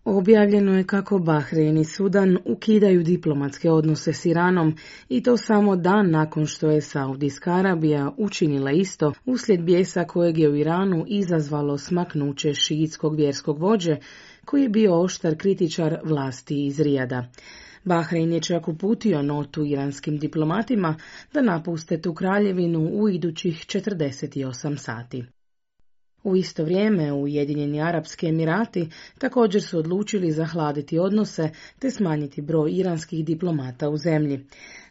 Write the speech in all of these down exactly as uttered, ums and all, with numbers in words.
Objavljeno je kako Bahrein i Sudan ukidaju diplomatske odnose s Iranom i to samo dan nakon što je Saudijska Arabija učinila isto uslijed bijesa kojeg je u Iranu izazvalo smaknuće šiitskog vjerskog vođe koji je bio oštar kritičar vlasti iz Rijada. Bahrein je čak uputio notu iranskim diplomatima da napuste tu kraljevinu u idućih četrdeset osam sati. U isto vrijeme Ujedinjeni Arapski Emirati također su odlučili zahladiti odnose te smanjiti broj iranskih diplomata u zemlji.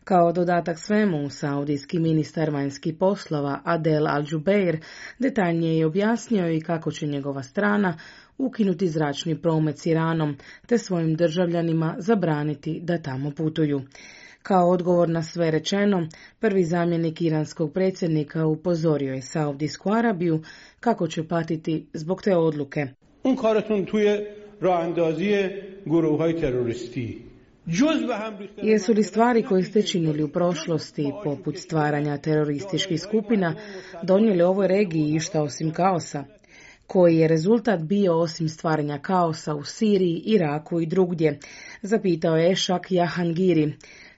Kao dodatak svemu, saudijski ministar vanjskih poslova Adel Al-Jubeir detaljnije je objasnio i kako će njegova strana ukinuti zračni promet s Iranom te svojim državljanima zabraniti da tamo putuju. Kao odgovor na sve rečeno, prvi zamjenik iranskog predsjednika upozorio je Saudijsku Arabiju kako će patiti zbog te odluke. Un karatun tuje raandazije guruhaj teroristi. Jesu li stvari koje ste činili u prošlosti, poput stvaranja terorističkih skupina, donijeli ovoj regiji išta osim kaosa? Koji je rezultat bio osim stvaranja kaosa u Siriji, Iraku i drugdje, zapitao je Ešak Jahangiri.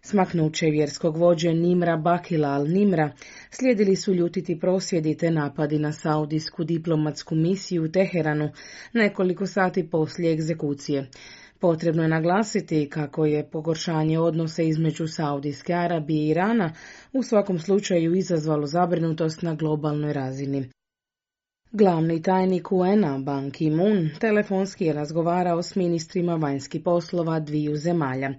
Smaknuće vjerskog vođe Nimra Bakila al-Nimra slijedili su ljutiti prosvjedi te napadi na saudijsku diplomatsku misiju u Teheranu nekoliko sati poslije egzekucije. Potrebno je naglasiti kako je pogoršanje odnosa između Saudijske Arabije i Irana u svakom slučaju izazvalo zabrinutost na globalnoj razini. Glavni tajnik U N-a Ban Ki-moon telefonski je razgovarao s ministrima vanjskih poslova dviju zemalja,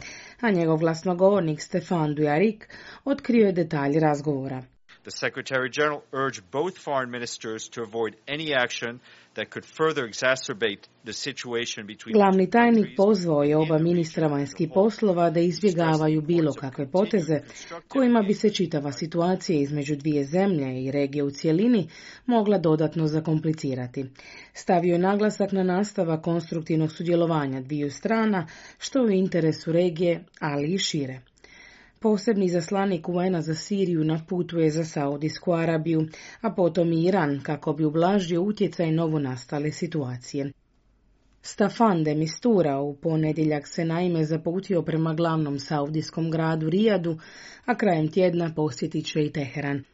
a njegov glasnogovornik Stefan Dujarric otkrio je detalje razgovora. The Secretary General urged both foreign ministers to avoid any action that could further exacerbate the situation between. Glavni tajnik pozvao je oba ministra vanjskih poslova da izbjegavaju bilo kakve poteze kojima bi se čitava situacija između dvije zemlje i regije u cjelini mogla dodatno zakomplicirati. Stavio je naglasak na nastavak konstruktivnog sudjelovanja dviju strana, što je u interesu regije, ali i šire. Posebni izaslanik U N-a za Siriju na putu je za Saudijsku Arabiju, a potom i Iran kako bi ublažio utjecaj novonastale situacije. Staffan de Mistura u ponedjeljak se naime zaputio prema glavnom saudijskom gradu Rijadu, a krajem tjedna posjetit će i Teheran.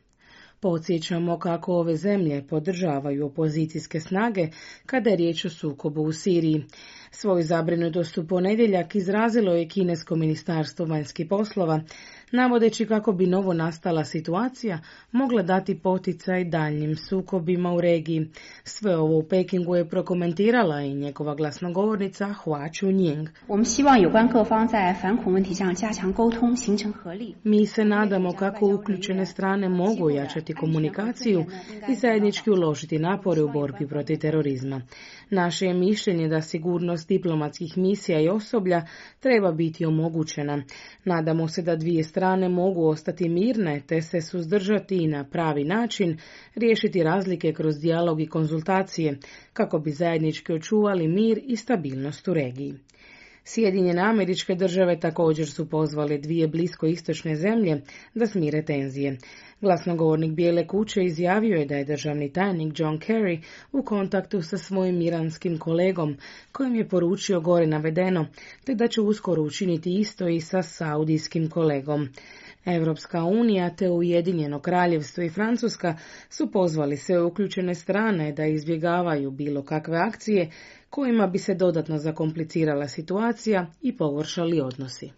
Podsjećamo kako ove zemlje podržavaju opozicijske snage kada je riječ o sukobu u Siriji. Svoju zabrinutost u ponedjeljak izrazilo je kinesko ministarstvo vanjskih poslova, navodeći kako bi novo nastala situacija mogla dati poticaj daljnjim sukobima u regiji. Sve ovo u Pekingu je prokomentirala i njegova glasnogovornica Hua Chunying. Mi se nadamo kako uključene strane mogu ojačati komunikaciju i zajednički uložiti napore u borbi protiv terorizma. Naše je mišljenje da sigurnost diplomatskih misija i osoblja treba biti omogućena. Nadamo se da dvije strane mogu ostati mirne te se suzdržati i na pravi način riješiti razlike kroz dijalog i konzultacije kako bi zajednički očuvali mir i stabilnost u regiji. Sjedinjene Američke Države također su pozvale dvije bliskoistočne zemlje da smire tenzije. Glasnogovornik Bijele kuće izjavio je da je državni tajnik John Kerry u kontaktu sa svojim iranskim kolegom, kojim je poručio gore navedeno, te da će uskoro učiniti isto i sa saudijskim kolegom. Europska unija te Ujedinjeno kraljevstvo i Francuska su pozvali sve uključene strane da izbjegavaju bilo kakve akcije kojima bi se dodatno zakomplicirala situacija i pogoršali odnosi.